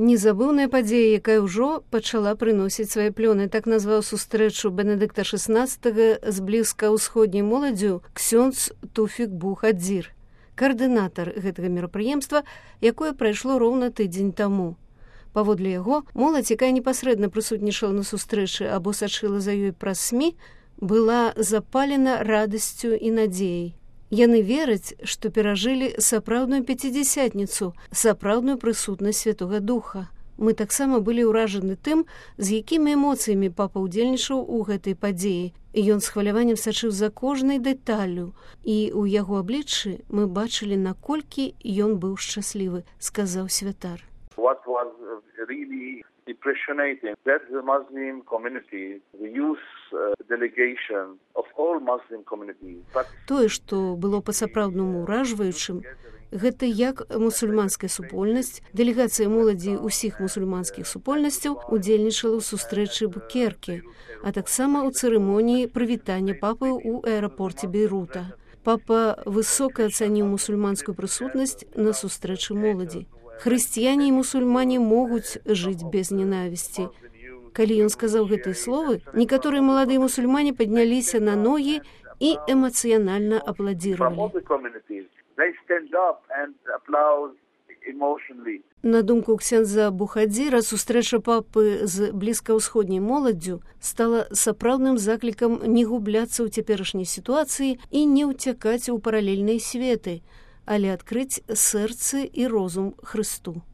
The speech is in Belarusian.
Незабыўная падзея, якая ўжо пачала прыносіць свае плёны, так назваў сустрэчу Бенедыкта XVI з блізкаўсходняй моладдзю ксёндз Туфік Бухадзір, каардынатар гэтага мерапрыемства, якое прайшло роўна тыдзень таму. Паводле яго, моладзь, якая непасрэдна прысутнічала на сустрэчы або сачыла за ёй праз СМІ, была запалена радасцю і надзеяй. Яны вераць, што перажылі сапраўдную пяцідзясятніцу, сапраўдную прысутнасць Святога Духа. Мы таксама былі ўражаны тым, з якімі эмоцыямі папа ўдзельнічаў у гэтай падзеі. Ён з хваляваннем сачыў за кожнай дэталлю, і ў яго абліччы мы бачылі, наколькі ён быў шчаслівы, сказаў святар. What was really impressionating that the Muslim community, the youth delegation of all Muslim communities. Тое, што было па-сапраўднаму ўражваючым, гэта як мусульманская супольнасць, дэлегацыя моладзі ўсіх мусульманскіх супольнасцяў удзельнічала ў сустрэчы Букерке, а таксама ў цырымоніі прывітання папы ў аэрапорце Бейрута. Папа высока ацаніў мусульманскую прысутнасць на сустрэчы моладзі. Хрысціяне і мусульмане могуць жыць без ненавісці. Калі ён сказаў гэтыя словы, некаторыя маладыя мусульмане падняліся на ногі і эмацыянальна апладзіравалі. На думку ксяндза Бухадзіра, сустрэча папы з блізкаўсходняй моладдзю стала сапраўдным заклікам не губляцца ў цяперашняй сітуацыі і не ўцякаць у паралельныя светы, але адкрыць сэрцы і розум Хрысту.